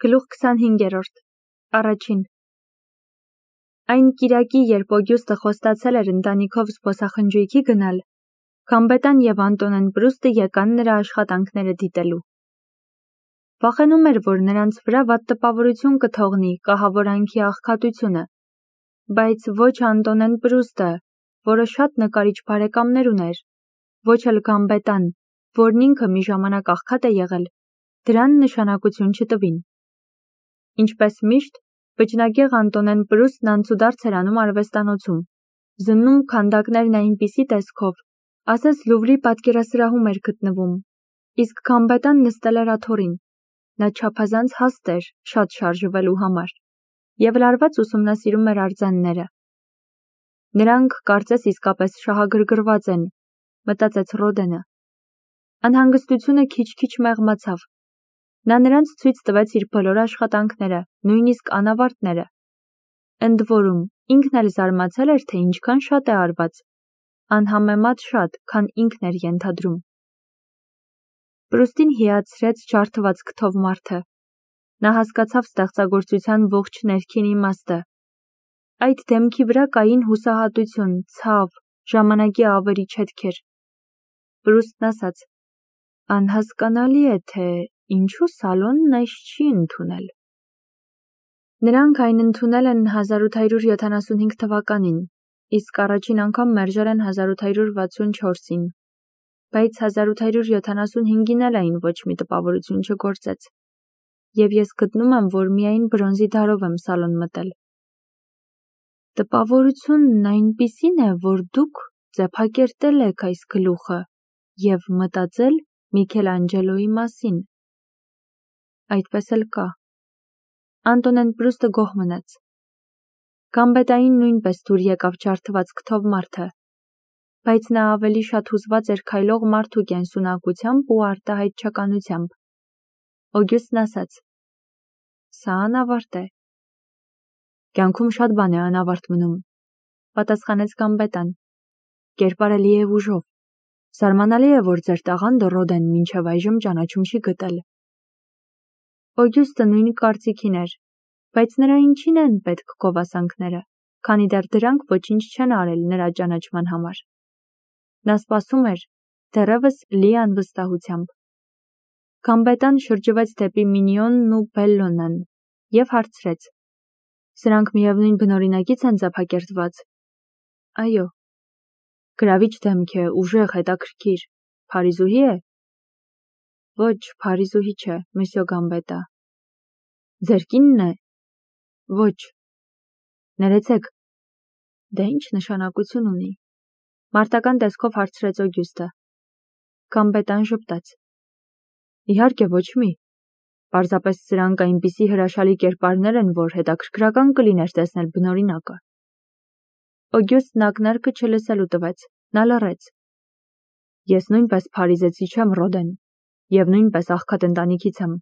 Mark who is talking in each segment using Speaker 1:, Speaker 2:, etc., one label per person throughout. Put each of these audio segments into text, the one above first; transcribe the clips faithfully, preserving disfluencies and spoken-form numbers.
Speaker 1: Գլուխ քսանհինգերորդ. Առաջին. Այն կիրակի, երբ Օգյուստը խոստացել էր ընտանիքով զբոսախնջույքի գնալ, Գամբետան և Անտոնեն Պրուստը եկան նրա աշխատանքները դիտելու։ Վախենում էր, որ նրանց վրա վատ տպավորություն կթողնի կահավորանքի աղքատությունը, բայց ոչ Անտոնեն Պրուստը, որը շատ նկարիչ բարեկամներ ուներ, ոչ էլ Գամբետան, որն ինքը մի ժամանակ աղքատ է եղել, դրան նշանակություն չտվին։ Ինչպես միշտ, վճնագեղ Անտոնեն Պրուստն անցուդարձ էր անում արվեստանոցում, զննում քանդակներն այնպիսի տեսքով, ասես Լուվրի պատկերասրահում էր գտնվում, իսկ Գամբետան նստել էր աթոռին, նա չափազանց հաստ էր շատ շարժվելու համար, և լարված ուսումնասիրում էր արձանները։ Նրանք կարծես իսկապես շահագրգռված են, մտածեց Ռոդենը։ Անհանգստությունը քիչ-քիչ մեղմացավ։ Նա նրանց ցույց տվեց իր բոլոր աշխատանքները, նույնիսկ անավարտները։ Ընդ որում, ինքն էլ զարմացել էր, թե ինչքան շատ է արված, անհամեմատ շատ, քան ինքն էր ենթադրում։ Պրուստին հիացրեց ջարդված քթով մարդը։ Նա հասկացավ ստեղծագործության ողջ ներքին իմաստը։ Այդ դեմքի վրա կային հուսահատություն, ցավ, ժամանակի ավերիչ հետքեր։ Պրուստն ասաց. Անհասկանալի է, թե ինչու սալոնն այս չի ընդունել։ Նրանք այն ընդունել են հազար ութ հարյուր յոթանասունհինգ թվականին, իսկ առաջին անգամ մերժել են հազար ութ հարյուր վաթսուն չորսին, բայց հազար ութ հարյուր յոթանասունհինգին էլ այն ոչ մի տպավորություն չգործեց, և ես գտնում եմ, որ միայն բրոնզի դարով եմ սալոն մտել։ Տպավորությունն այնպիսին է, որ դուք ձեփակերտել եք այս գլուխը և մտածել Միքելանջելոյի մասին։ Այդպես էլ կա։ Անտոնեն Պրուստը գոհ մնաց։ Գամբետային նույնպես դուր եկավ ջարդված քթով մարդը, բայց նա ավելի շատ հուզված էր քայլող մարդու կենսունակությամբ ու արտահայտչականությամբ։ Օգյուստն ասաց. Սա անավարտ է։ Կյանքում շատ բան է անավարտ մնում, պատասխանեց Գամբետան։ Կերպարելի է ուժով։ Զարմանալի է, որ ձեր տաղանդը Ռոդեն մինչև այժմ ճանաչում չի գտել։ Օգյուստը նույն կարծիքին էր, բայց նրա ինչին են պետք գովասանքները, քանի դեռ դրանք ոչինչ չեն արել նրա ճանաչման համար։ Նա սպասում էր, դեռևս լի անվստահությամբ։ Գամբետան շրջվեց դեպի Մինիոնն ու Բելլոնան և հարցրեց. Սրանք միևնույն բնօրինակից են ձեփակերտված։ Այո։ Գրավիչ դեմք է, ուժեղ, հետաքրքիր, Փարիզուհի է։ Ոչ, Փարիզուհի չէ, մսյո Գամբետա։ Ձեր կինն է։ Ոչ։ Ներեցեք։ Դե ինչ նշանակություն ունի։ Մարտական տեսքով հարցրեց Օգյուստը։ Գամբետան ժպտաց։ Իհարկե ոչ մի։ Պարզապես սրանք այնպիսի հրաշալի կերպարներ են, որ հետաքրքրական կլիներ տեսնել բնօրինակը։ Օգյուստն ակնարկը չլսելու տվեց, նա լռեց։ Ես նույնպես փարիզեցի չեմ, Ռոդեն, և նույնպես աղքատ ընտանիքից եմ։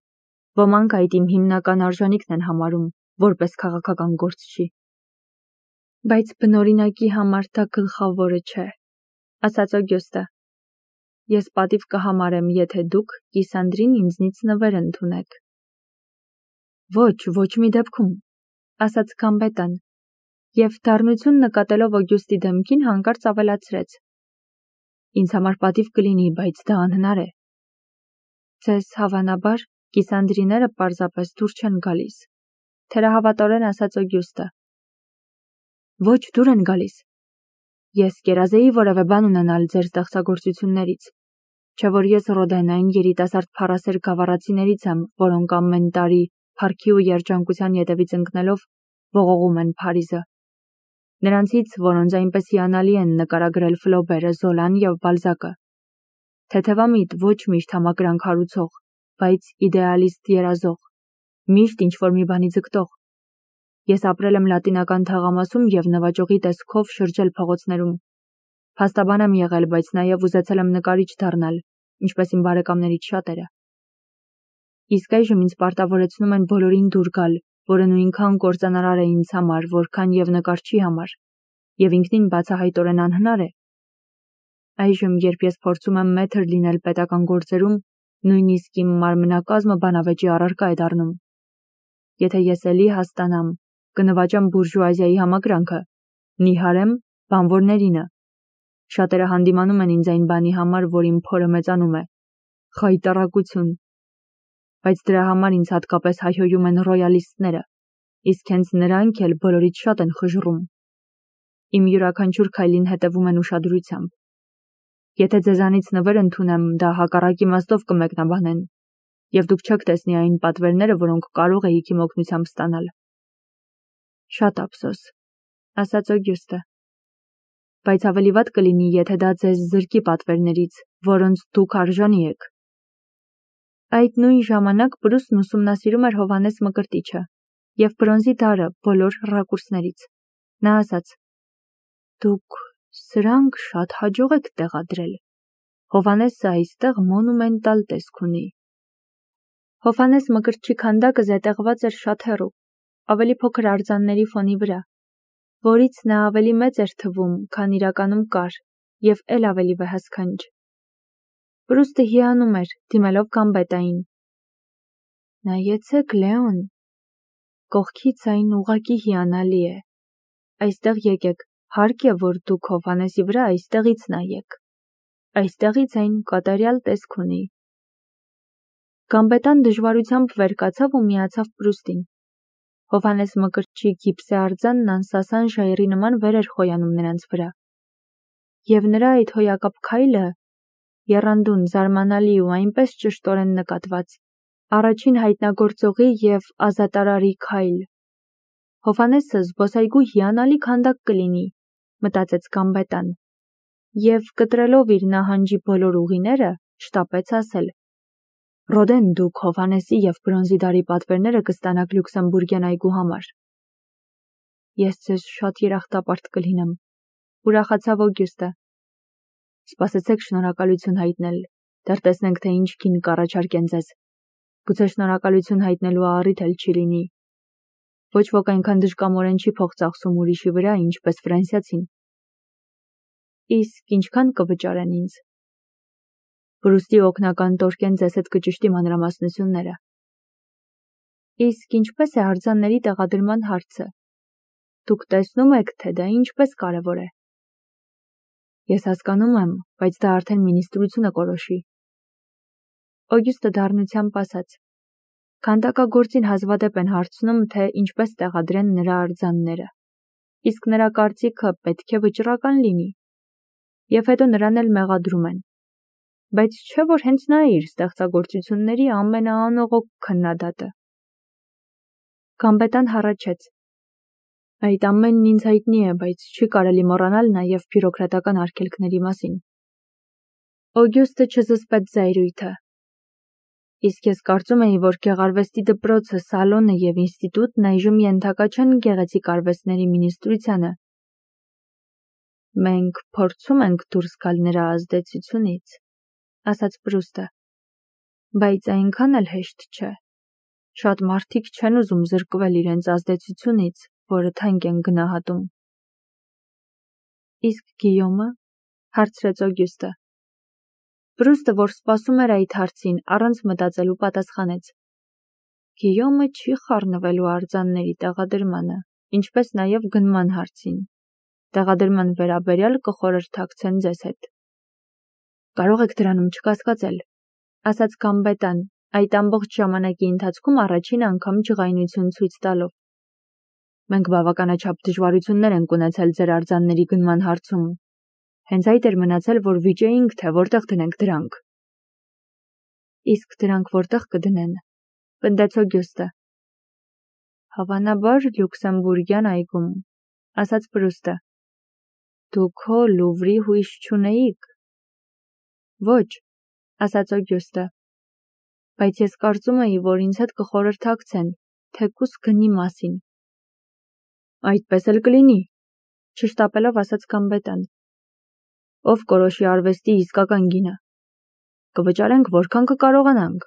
Speaker 1: Ոմանք այդ իմ հիմնական արժանիքն են համարում, որպես քաղաքական գործչի։ Բայց բնօրինակի համար դա գլխավորը չէ, ասաց Օգյուստը։ Ես պատիվ կհամարեմ, եթե դուք Կիսանդրին ինձնից նվեր ընդունեք։ Ոչ, ոչ մի դեպքում, ասաց Գամբետան, և դառնություն նկատելով Օգյուստի դեմքին հանկարծ ավելացրեց. Ինձ համար պատիվ կլինի, բայց դա անհնար է։ Ձեզ հավանաբար Կիսանդրիները պարզապես դուր չեն գալիս, թերահավատորեն ասաց Օգյուստը։ Ոչ, դուր են գալիս։ Ես կերազեի որևէ բան ունենալ ձեր ստեղծագործություններից, չէ որ ես Ռոդեն այն երիտասարդ փառասեր գավառացիներից եմ, որոնք ամեն տարի փառքի ու երջանկության ետևից ընկնելով ողողում են Փարիզը։ Նրանցից, որոնց այնպես հիանալի են նկարագրել Ֆլոբերը, Զոլան և Բալզակը։ Թեթևամիտ, ոչ միշտ համակրանք հարուցող, բայց իդեալիստ երազող, միշտ ինչ-որ մի բանի ձգտող։ Ես ապրել եմ լատինական թաղամասում և նվաճողի տեսքով շրջել փողոցներում։ Փաստաբան եմ եղել, բայց նաև ուզեցել եմ նկարիչ դառնալ, ինչպես իմ բարեկամներից շատերը։ Իսկ այժմ ինձ պարտավորեցնում են բոլորին դուր գալ, որը նույնքան կործանարար է ինձ համար, որքան և նկարչի համար, և ինքնին բացահայտորեն անհնար է։ Այժմ, երբ ես փորձում եմ մեթր լինել պետական գործերում, նույնիսկ իմ մարմնակազմը բանավեճի առարկա է դառնում։ եթե ես էլի հաստանամ, կնվաճեմ բուրժուազիայի համակրանքը, նիհարեմ բանվորներինը։ Շատերը հանդիմանում են ինձ այն բանի համար, որ իմ փորը մեծանում է։ Խայտառակություն։ Բայց դրա համար ինձ հատկապես հայհոյում են ռոյալիստները, իսկ հենց նրանք էլ բոլորից շատ են խժռում։ Իմ յուրաքանչյուր քայլին հետևում են ուշադրությամբ։ Եթե ձեզանից նվեր ընդունեմ, դա հակառակ իմաստով կմեկնաբանեն, եւ դուք չեք տեսնի այն պատվերները, որոնք կարող էիք իմ օգնությամբ ստանալ։ Շատ ափսոս, ասաց Օգյուստը։ Բայց ավելի վատ կլինի, եթե դա ձեզ զրկի պատվերներից, որոնց դուք արժանի եք։ Այդ նույն ժամանակ Պրուստն ուսումնասիրում էր Հովհաննես Մկրտիչը եւ բրոնզի դարը բոլոր ռակուրսներից։ Նա ասաց. Դուք սրանք շատ հաջող եք տեղադրել։ Հովհաննեսը այստեղ մոնումենտալ տեսք ունի։ Հովհաննես Մկրտչի քանդակը զետեղված էր շատ հեռու, ավելի փոքր արձանների ֆոնի վրա, որից նա ավելի մեծ էր թվում, քան իրականում կար, եւ էլ ավելի վհասքանչ։ Պրուստը հիանում էր, դիմելով գամբետային։ Նայեցեք, Լեոն, կողքից այն ուղղակի հիանալի է։ Այստեղ եկեք, հարկ է, որ դուք Հովհաննեսի վրա այստեղից նայեք։ Այստեղից այն կատարյալ տեսք ունի։ Գամբետան դժվարությամբ վեր կացավ ու միացավ Պրուստին։ Հովհաննես Մկրտչի գիպսե արձանն անսասան ժայռի նման վեր էր խոյանում նրանց վրա։ Եվ նրա այդ հոյակապ քայլը, եռանդուն, զարմանալի ու այնպես ճշտորեն նկատված, առաջին հայտնագործողի եւ ազատարարի քայլ։ Հովհաննեսը զբոսայգու հիանալի քանդակ կլինի, մտածեց Գամբետան, եւ կտրելով իր նահանջի բոլոր ուղիները, շտապեց ասել. Ռոդեն, դուք Հովհաննեսի եւ բրոնզի դարի պատվերները կստանաք Լյուքսեմբուրգյան այգու համար։ Ես ձեզ շատ երախտապարտ կլինեմ, ուրախացավ Օգյուստը։ Սպասեցեք շնորհակալություն հայտնել, դեռ տեսնենք, թե ինչ գին կառաջարկեն ձեզ։ Գուցե շնորհակալություն հայտնելու առիթ էլ չի լինի։ Ոչ ոք այնքան դժկամորեն չի փող ծախսում ուրիշի վրա, ինչպես ֆրանսիացին։ Իսկ ինչքան կվճարեն ինձ։ Պրուստի օգնական Տորկեն ձեզ հետ կճշտի մանրամասնությունները։ Իսկ ինչպես է արձանների տեղադրման հարցը։ Դուք տեսնում եք, թե դա ինչպես կարևոր է։ Ես հասկանում եմ, բայց դա արդեն մինիստրությունը կորոշի։ Օգյուստը դառնությամբ ասաց. Քանդակագործին հազվադեպ են հարցնում, թե ինչպես տեղադրեն նրա արձանները։ Իսկ նրա կարծիքը պետք է վճռական լինի։ Եվ հետո նրան էլ մեղադրում են։ Բայց չէ՞ որ հենց նա է իր ստեղծագործությունների ամենաանողոք քննադատը։ Գամբետան հառաչեց. Այդ ամենն ինձ հայտնի է, բայց չի կարելի մոռանալ նաև բյուրոկրատական արգելքների մասին։ Օգյուստը չզսպեց զայրույթը։ Իսկ ես կարծում էի, որ գեղարվեստի դպրոցը, սալոնը եւ ինստիտուտն այժմ ենթակա չեն գեղեցիկ արվեստների մինիստրությանը։ Մենք փորձում ենք դուրս գալ նրա ազդեցությունից, ասաց Պրուստը, բայց այնքան էլ հեշտ չէ։ Շատ մարդիկ չեն ուզում զրկվել իրենց ազդեցությունից, որը թանկ են գնահատում։ Իսկ Գիյոմը, հարցրեց Օգյուստը։ Պրուստը, որ սպասում էր այդ հարցին, առանց մտածելու պատասխանեց. Գիյոմը չի խառնվելու արձանների տեղադրմանը, ինչպես նաև գնման հարցին։ Տեղադրման վերաբերյալ կխորհրդակցեն ձեզ հետ։ Կարող եք դրանում չկասկածել, ասաց Գամբետան, այդ ամբողջ ժամանակի ընթացքում առաջին անգամ ջղայնություն ցույց տալով։ Մենք բավականաչափ դժվարություններ ենք ունեցել ձեր արձանների գնման հարցում։ Հենց այդ էր մնացել, որ վիճեինք, թե որտեղ դնենք դրանք։ Իսկ դրանք որտեղ կդնեն, պնդեց Օգյուստը։ Հավանաբար Լյուքսեմբուրգյան այգում, ասաց Պրուստը։ Դուք հո Լուվրի հույս չունեիք։ Ոչ, ասաց Օգյուստը։ Բայց ես կարծում էի, որ ինձ հետ կխորհրդակցեն, թեկուս գնի մասին։ Այդպես էլ կլինի, չշտապելով ասաց Գամբետան։ Ով կորոշի արվեստի իսկական գինը։ Կվճարենք որքան կկարողանանք։